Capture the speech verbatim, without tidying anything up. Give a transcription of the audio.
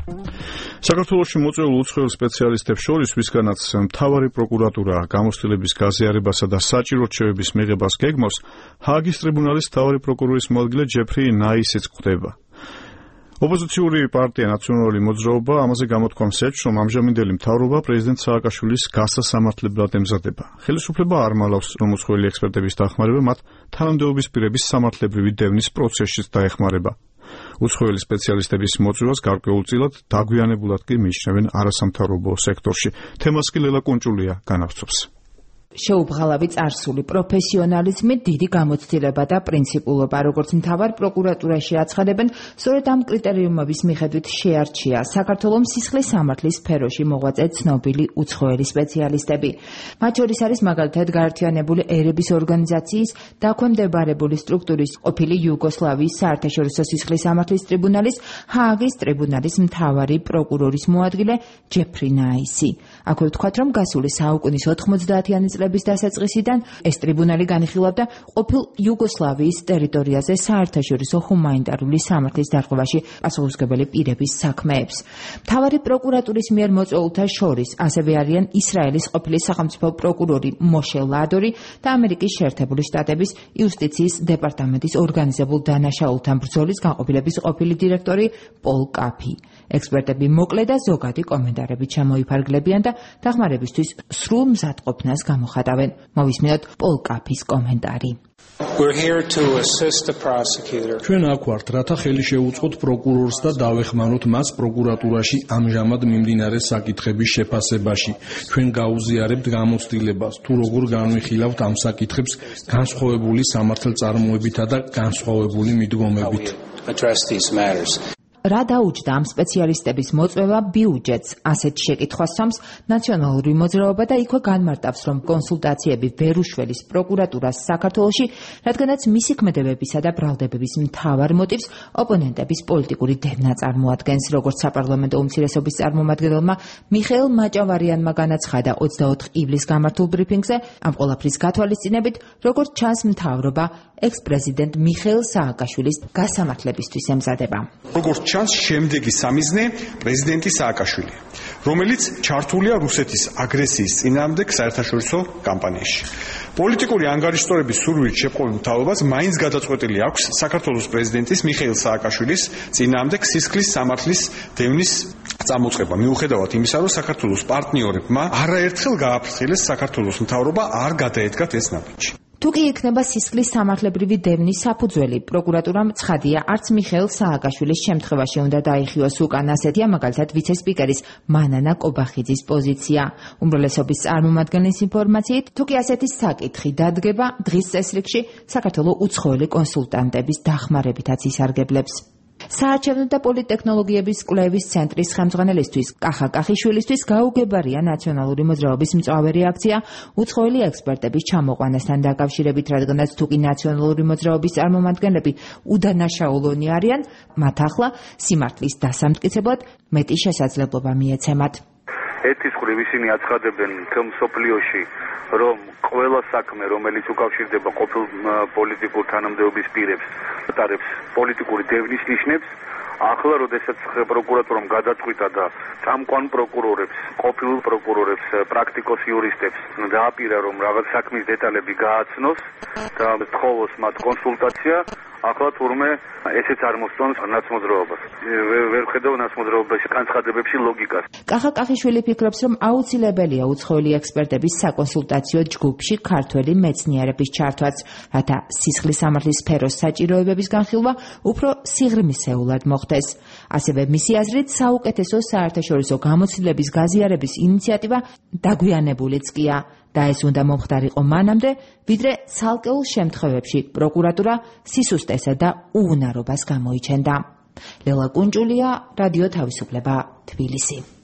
საქართველოში მოწვეულ უცხოელ სპეციალისტებს შორის, ვისგანაც მთავარი პროკურატურა გამოცდილების გაზიარებასა და საჭირო რჩევების მიღებას გეგმავს, ჰააგის ტრიბუნალის მთავარი პროკურორის მოადგილე ჯეფრი ნაისიც ხვდება. ოპოზიციური პარტია ნაციონალური მოძრაობა ამაზე გამოთქვამს ეჭვს, რომ ამჟამინდელი მთავრობა პრეზიდენტ სააკაშვილის გასასამართლებლად ემზადება. ხელისუფლება არ მალავს, რომ უცხოელი ექსპერტების დახმარება მათ თანამდებობის პირების სამართლებრივი დევნის პროცესშიც დაეხმარება. უცხოელი სპეციალისტების მოწვევას გარკვეულწილად დაგვიანებულად კი მიიჩნევენ არასამთავრობო სექტორში. თემას კი ლელა კუნჭულია განავრცობს. შეუბრალავი წარსული პროფესიონალიზმი, დიდი გამოცდილება და პრინციპულობა, როგორც მთავარ პროკურატურაში აცხადებენ, სწორედ ამ კრიტერიუმების მიხედვით შეარჩია საქართველოს სისხლის სამართლის სფეროში მოღვაწე ცნობილი უცხოელი სპეციალისტები. მათ შორის არის მაგალითად გაერთიანებული ერების ორგანიზაციის დაქვემდებარებული სტრუქტურის ყოფილი იუგოსლავიის საერთაშორისო სისხლის სამართლის ტრიბუნალის ჰააგის ტრიბუნალის მთავარი პროკურორის მოადგილე ჯეფრი ნაისი. აქვე ვთქვათ, რომ გასული საუკუნის ოთხმოცდაათიანი წლების დასაწყისიდან ეს ტრიბუნალი განიხილავდა ყოფილ იუგოსლავიის ტერიტორიაზე საერთაშორისო ჰუმანიტარული სამართლის დარღვევაში პასუხისმგებელი პირების საქმეებს. მთავარი პროკურატურის მიერ მოწვეულთა შორის ასევე არიან ისრაელის ყოფილი სახელმწიფო პროკურორი მოშე ლადორი და ამერიკის შეერთებული შტატების იუსტიციის დეპარტამენტის ორგანიზებულ დანაშაულთან ბრძოლის განყოფილების ყოფილი დირექტორი პოლ კაფი. ექსპერტები მოკლე და ზოგადი კომენტარებით ჩამოიფარგლებიან და დახმარებისთვის სრულ მზადყოფნას გამოხატავენ. მოვისმინოთ პოლ კაფის კომენტარი. ჩვენ აქ ვართ, რათა ხელი შეუწყოთ პროკურორს და დავეხმაროთ მას პროკურატურაში ამჟამად მიმდინარე საკითხების შეფასებაში. ჩვენ გაუზიარებთ გამოცდილებას, თუ როგორ განვიხილავთ ამ საკითხებს განსხვავებული სამართალწარმოებითა და განსხვავებული მიდგომებით. რა დაუჯდა ამ სპეციალისტების მოწვევა ბიუჯეტს? ასეთ შეკითხვას სვამს ნაციონალური მოძრაობა და იქვე განმარტავს, რომ კონსულტაციები ვერ უშველის პროკურატურას საქართველოში, რადგანაც მისი ქმედებებისა და ბრალდებების მთავარ მოტივს ოპონენტების პოლიტიკური დევნა წარმოადგენს. როგორც საპარლამენტო უმცირესობის წარმომადგენელმა მიხეილ მაჭავარიანმა განაცხადა ოცდაოთხ ივლისს გამართულ ბრიფინგზე, ამ ყველაფრის გათვალისწინებით, როგორც ჩანს, მთავრობა ექს-პრეზიდენტ მიხეილ სააკაშვილის გასამართლებისთვის ემზადება. როგორც ჩანს, შემდეგი სამიზნე პრეზიდენტი სააკაშვილი, რომელიც ჩართულია რუსეთის აგრესიის წინააღმდეგ საერთაშორისო კამპანიაში. პოლიტიკური ანგარიშტორების სურვილით შეპყრობილ მთავრობას მაინც გადაწყვეტილი აქვს საქართველოს პრეზიდენტის მიხეილ სააკაშვილის წინააღმდეგ სისხლის სამართლის დევნის წამოწყება, მიუხედავად იმისა, რომ საქართველოს პარტნიორებმა არაერთხელ გააფრთხილეს საქართველოს მთავრობა არ გადაედგათ ეს ნაბიჯი. თუ კი იქნება სისხლის სამართლებრივი დევნის საფუძველი, პროკურატურამ ცხადია, არც მიხეილ სააკაშვილის შემთხვევაში უნდა დაიხიოს უკან. ასეთია მაგალითად ვიცე-სპიკერის მანანა კობახიძის პოზიცია. უმრავლესობის წარმომადგენლის ინფორმაციით, თუ კი ასეთი საკითხი დადგება, დღის წესრიგში საქართველოს უცხოელი კონსულტანტების დახმარებითაც ისარგებლებს. საარჩევნო და პოლიტექნოლოგიების კვლევის ცენტრის ხელმძღვანელისთვის კახა კახიშვილისთვის გაუგებარია ნაციონალური მოძრაობის მწვავე რეაქცია უცხოელი ექსპერტების ჩამოყვანასთან დაკავშირებით, რადგანაც თუ კი ნაციონალური მოძრაობის წარმომადგენლები უდანაშაულონი არიან, მათ ახლა სიმართლის დასამტკიცებლად მეტი შესაძლებლობა მიეცემათ. ერთის მხრივ ისინი აცხადებენ მთელ მსოფლიოში, რომ ყველა საქმე, რომელიც უკავშირდება ყოფილ პოლიტიკურ თანამდებობის პირებს, ატარებს პოლიტიკური დევნის ნიშნებს. ახლა, როდესაც პროკურატურამ გადაწყვიტა და წამყვან პროკურორებს, ყოფილ პროკურორებს, პრაქტიკოს იურისტებს დააპირა, რომ რაღაც საქმის დეტალები გააცნოს და თხოვოს მათ კონსულტაცია, ახლა თურმე ესეც არ მოსწონს ნაცმოძრაობას. ვერ ხედავ ნაცმოძრაობაში განცხადებებში ლოგიკას. კახა კახიშვილი ფიქრობს, რომ აუცილებელია უცხოელი ექსპერტების საკონსულტაციო ჯგუფში ქართველი მეცნიერების ჩართვაც, რათა სისხლის სამართლის სფეროს საჭიროებების განხილვა უფრო სიღრმისეულად მოხდეს. ასევე მისი აზრით, საუკეთესო საერთაშორისო გამოცდილების გაზიარების ინიციატივა დაგვიანებულიც კია. და ეს უნდა მომხდარიყო მანამდე, ვიდრე ცალკეულ შემთხვევებში პროკურატურა სისუსტესა და უუნარობას გამოიჩენდა. ლელა კუნჭულია, რადიო თავისუფლება, თბილისი.